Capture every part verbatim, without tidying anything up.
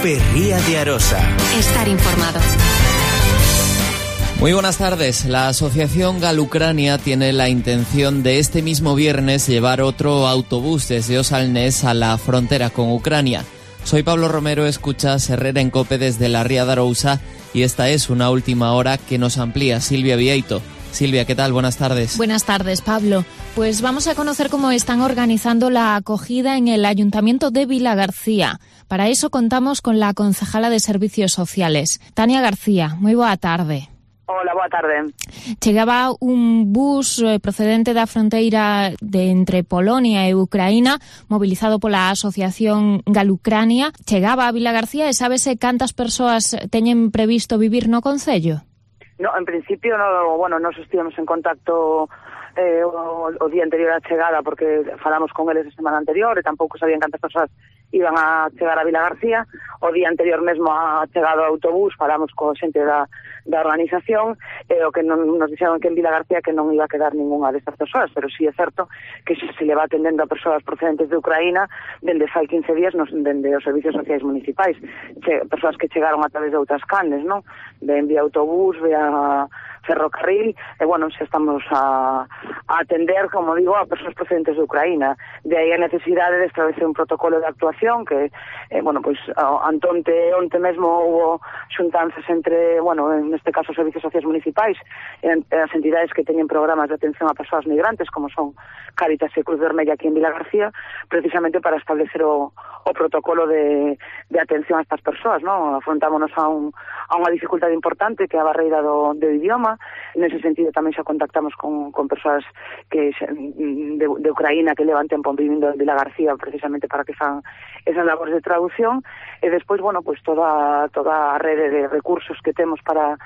Ferría de Arosa. Estar informado. Muy buenas tardes. La asociación Galucrania tiene la intención de este mismo viernes llevar otro autobús desde Osalnés a la frontera con Ucrania. Soy Pablo Romero, escuchas Herrera en Cope desde la Ría de Arousa y esta es una última hora que nos amplía Silvia Vieito. Silvia, ¿qué tal? Buenas tardes. Buenas tardes, Pablo. Pues vamos a conocer cómo están organizando la acogida en el Ayuntamiento de Vilagarcía. Para eso contamos con la concejala de Servicios Sociales, Tania García. Muy boa tarde. Hola, boa tarde. Chegaba un bus eh, procedente da fronteira de entre Polonia e Ucraína, mobilizado pola asociación Galucrania. Chegaba a Vilagarcía e sábese cantas persoas teñen previsto vivir no concello? No, en principio, no, bueno, nos estivemos en contacto eh, o, o día anterior á chegada porque falamos con eles a semana anterior e tampouco sabían cantas persoas iban a chegar a Vilagarcía. O día anterior mesmo a chegado ao autobús falamos co xente da, da organización e o que non, nos dixeron que en Vilagarcía que non iba a quedar ninguna destas persoas, pero sí é certo que se, se le va atendendo a persoas procedentes de Ucraína dende fai quince días nos, dende os servicios sociais municipais, che, persoas que chegaron a través de outras canles, non? De vía autobús, vía ferrocarril, e bueno, se estamos a, a atender, como digo, a persoas procedentes de Ucraína. De aí a necesidade de establecer un protocolo de actuación que, eh, bueno, pois, antonte, onte mesmo hubo xuntanzas entre, bueno, en este caso, os servicios sociais municipais e as entidades que teñen programas de atención a persoas migrantes, como son Cáritas e Cruz Vermella aquí en Vilagarcía, precisamente para establecer o, o protocolo de, de atención a estas persoas, ¿no? Afrontámonos a, un, a unha dificultade importante que é a barreira do, do idioma. Nese sentido tamén xa contactamos con, con persoas que de, de Ucraína que levan tempo vivindo en Vilagarcía precisamente para que fan esas labores de traducción e despois, bueno, pues toda toda a rede de recursos que temos para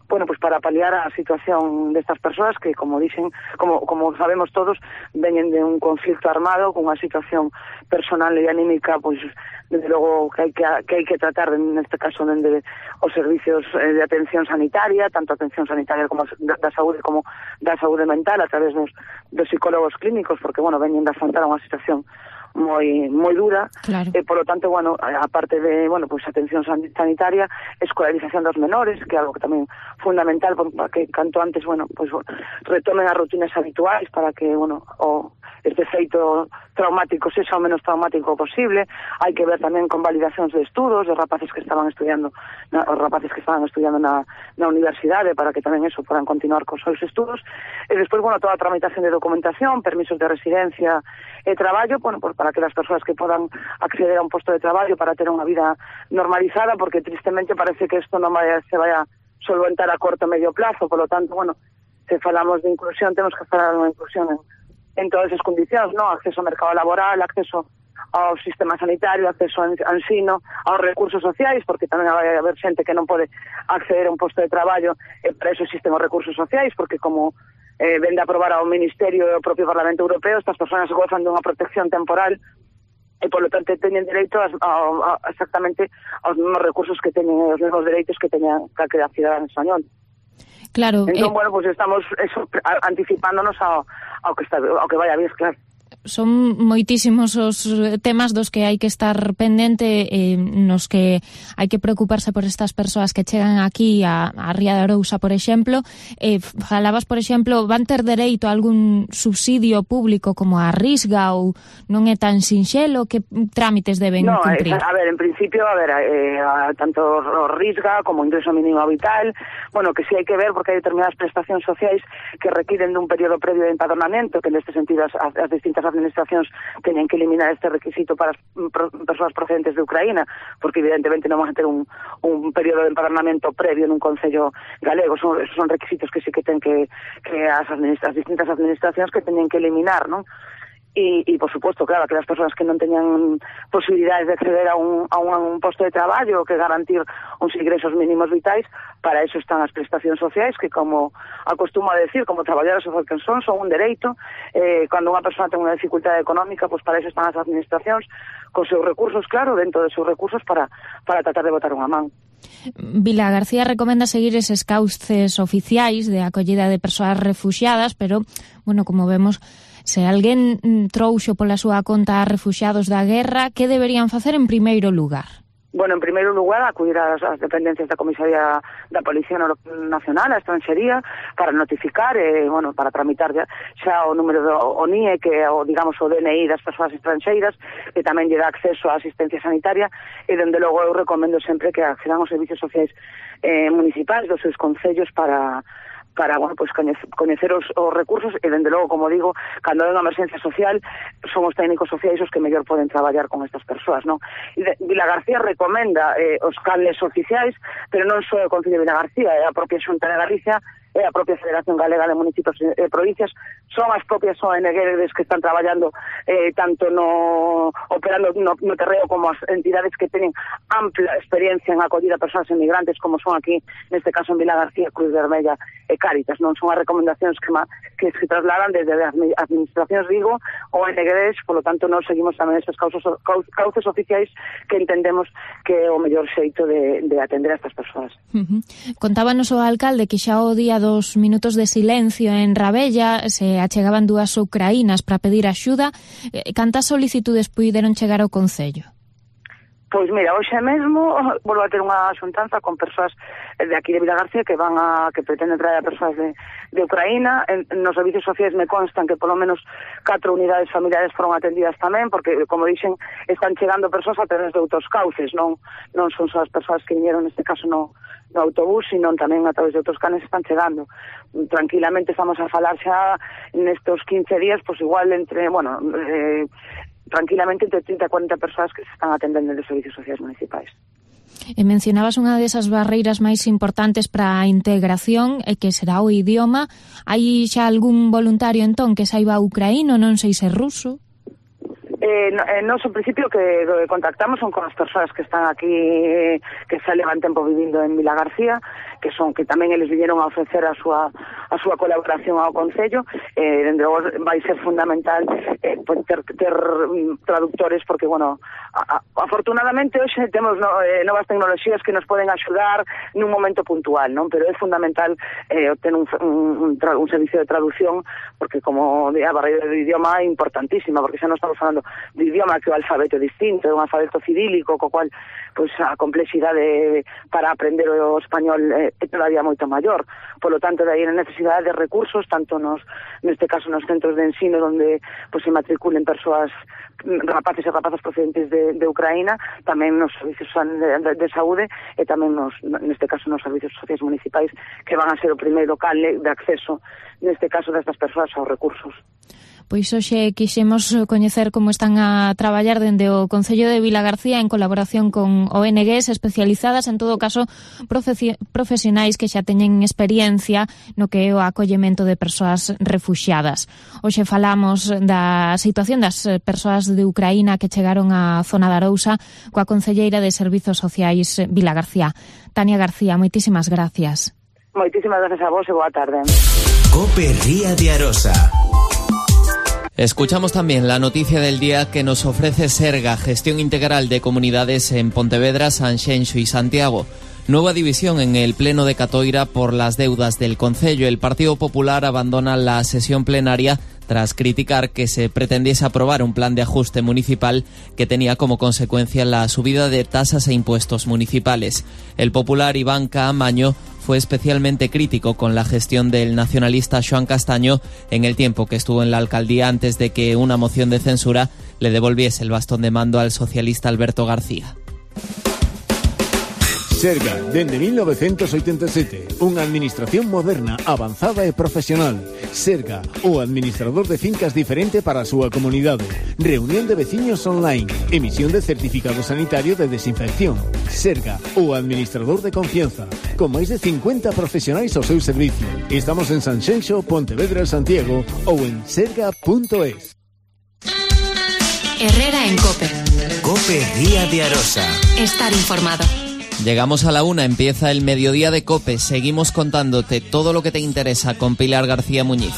bueno, pues para paliar a situación destas persoas que, como dicen, como como sabemos todos, veñen de un conflicto armado con unha situación personal e anímica, pois desde logo que hai que, que hai que tratar neste caso dende os servicios de atención sanitaria, tanto atención sanitaria como da saúde como da saúde mental a través dos, dos psicólogos clínicos, porque, bueno, veñen de afrontar unha situación moi moi dura, claro. E por lo tanto, bueno, aparte de, bueno, pues atención sanitaria, escolarización dos menores, que é algo que tamén fundamental para que canto antes, bueno, pues retomen as rutinas habituais para que, bueno, o este feito traumático sexa o menos traumático posible. Hai que ver tamén con validacións de estudos de rapaces que estaban estudiando, na, os rapaces que estaban estudiando na, na universidade para que tamén eso podan continuar cos seus estudos. E despois, bueno, toda a tramitación de documentación, permisos de residencia e traballo, bueno, pues para que as persoas que podan acceder a un posto de traballo para ter unha vida normalizada, porque tristemente parece que isto non vai, se vai a solventar a corto e medio plazo. Por lo tanto, bueno, se falamos de inclusión, temos que falar de unha inclusión en, en todas as condicións, ¿no? Acceso ao mercado laboral, acceso ao sistema sanitario, acceso ao ensino, aos recursos sociais, porque tamén vai haber xente que non pode acceder a un posto de traballo, e para eso existen os recursos sociais, porque como eh, vende a aprobar ao Ministerio e ao propio Parlamento Europeo, estas persoas gozan dunha protección temporal e, polo tanto, teñen dereito a, a, a, exactamente aos mesmos recursos que teñen, os mesmos dereitos que teñan calquera cidadán español. Claro. Entón, eh... bueno, pues estamos eso, anticipándonos ao, ao que está, ao que vai a vir, claro. Son moitísimos os temas dos que hai que estar pendente, eh, nos que hai que preocuparse por estas persoas que chegan aquí a, a Ría de Arousa, por exemplo. Eh, falabas, por exemplo, van ter dereito a algún subsidio público como a Risga ou non é tan sinxelo? Que trámites deben no, cumprir? A ver, en principio, a ver, eh, a, tanto o Risga como o ingreso mínimo vital, bueno, que sí hai que ver porque hai determinadas prestacións sociais que requiren dun período previo de empadronamento, que neste sentido as, as distintas administracións teñen que eliminar este requisito para as pro, persoas procedentes de Ucraína, porque evidentemente non van a ter un, un período de empadronamento previo nun concello galego. Son, son requisitos que sí que ten que, que as, administra, as distintas administracións que teñen que eliminar, non? E, e, por suposto, claro, que as persoas que non teñan posibilidades de acceder a un, a un, a un posto de traballo, que garantir uns ingresos mínimos vitais, para eso están as prestacións sociais, que, como acostumo a decir, como traballadores social que son, son un dereito. Eh, cando unha persoa ten unha dificultade económica, pues para eso están as administracións, con seus recursos, claro, dentro de seus recursos, para, para tratar de botar unha man. Vilagarcía recomenda seguir eses cauces oficiais de acollida de persoas refuxiadas, pero, bueno, como vemos, se alguén trouxo pola súa conta a refuxiados da guerra, que deberían facer en primeiro lugar? Bueno, en primeiro lugar, acudir ás, ás dependencias da Comisaría da Policía Nacional, a Estranxería, para notificar, eh, bueno, para tramitar xa, xa o número do o N I E, que é o, digamos, o D N I das persoas estranxeiras, que tamén lle dá acceso á asistencia sanitaria, e, dende logo, eu recomendo sempre que accedan aos servicios sociais eh, municipais dos seus concellos para... para, bueno, pues coñecer os, os recursos e, dende logo, como digo, cando hai unha emerxencia social, son os técnicos sociais os que mellor poden traballar con estas persoas, non? E de, Vilagarcía recomenda eh, os canles oficiais, pero non só o Concello de Vilagarcía, é a propia Xunta de Galicia, é a propia Federación Galega de Municipios e Provincias, son as propias O N Gs que están traballando eh, tanto no operando no, no terreo como as entidades que teñen ampla experiencia en acollida a persoas inmigrantes, como son aquí, neste caso en Vilagarcía, Cruz Vermella e Cáritas, non? Son as recomendacións que, ma, que se trasladan desde as administracións, digo, O N Gs, polo tanto, nós seguimos tamén estes cauces, cauces oficiais que entendemos que é o mellor xeito de, de atender a estas persoas. Uh-huh. Contábanos o alcalde que xa o día dos minutos de silencio en Rabella se achegaban dúas ucraínas para pedir axuda. Cantas solicitudes puideron chegar ao Concello? Pois mira, hoxe mesmo volvo a ter unha xuntanza con persoas de aquí de Vilagarcía que van a que pretenden traer a persoas de, de Ucraína. En, nos servicios sociais me constan que polo menos catro unidades familiares foron atendidas tamén, porque, como dixen, están chegando persoas a través de outros cauces, non non son só as persoas que viñeron neste caso no, no autobús, sino tamén a través de outros canes están chegando. Tranquilamente estamos a falar xa nestos quince días, pois igual entre, bueno, eh, tranquilamente entre trinta e cuarenta persoas que se están atendendo nos servicios sociais municipais. E mencionabas unha desas barreiras máis importantes para a integración, e que será o idioma. Hai xa algún voluntario entón que saiba ucraíno, non sei se ruso? Eh, no, eh, nos, en principio, que eh, contactamos son con as persoas que están aquí, eh, que xa levan tempo vivindo en Vilagarcía, que son que tamén eles viñeron a ofrecer a súa a súa colaboración ao Concello. Eh, dende logo vai ser fundamental eh, ter, ter um, traductores, porque, bueno, a, a, afortunadamente hoxe temos no, eh, novas tecnoloxías que nos poden axudar nun momento puntual, non? Pero é fundamental eh, ter un, un, un, un servicio de traducción, porque, como a barreira do idioma é importantísima, porque xa non estamos falando do idioma, que o alfabeto é distinto, é un alfabeto cirílico, co cual, pois, a complexidade para aprender o español é, é todavía moito maior. Polo tanto, de aí a necesidade de recursos, tanto nos, neste caso, nos centros de ensino, onde, pois, se matriculen persoas, rapaces e rapazas procedentes de, de Ucraína, tamén nos servicios de, de, de saúde, e tamén, nos, neste caso, nos servicios sociais municipais, que van a ser o primeiro canle de acceso, neste caso, destas persoas aos recursos. Pois hoxe quixemos coñecer como están a traballar dende o Concello de Vilagarcía en colaboración con O N Gs especializadas, en todo caso profesionais que xa teñen experiencia no que é o acollemento de persoas refuxiadas. Hoxe falamos da situación das persoas de Ucraína que chegaron á zona de Arousa coa concelleira de Servizos Sociais Vilagarcía. Tania García, moitísimas gracias. Moitísimas gracias a vos e boa tarde. COPE Ría de Arosa. Escuchamos también la noticia del día que nos ofrece Serga, Gestión Integral de Comunidades en Pontevedra, Sanxenxo y Santiago. Nueva división en el Pleno de Catoira por las deudas del Concello. El Partido Popular abandona la sesión plenaria tras criticar que se pretendiese aprobar un plan de ajuste municipal que tenía como consecuencia la subida de tasas e impuestos municipales. El popular Iván Caamaño fue especialmente crítico con la gestión del nacionalista Xoán Castaño en el tiempo que estuvo en la alcaldía antes de que una moción de censura le devolviese el bastón de mando al socialista Alberto García. Serga, dende mil novecientos oitenta e sete, unha administración moderna, avanzada e profesional. Serga, o administrador de fincas diferente para a súa comunidade. Reunión de veciños online. Emisión de certificado sanitario de desinfección. Serga, o administrador de confianza. Con máis de cincuenta profesionais ao seu servicio. Estamos en Sanxenxo, Pontevedra e Santiago ou en serga punto es. Herrera en COPE. COPE Ría de Arosa. Estar informado. Llegamos a la una, empieza el mediodía de COPE. Seguimos contándote todo lo que te interesa con Pilar García Muñiz.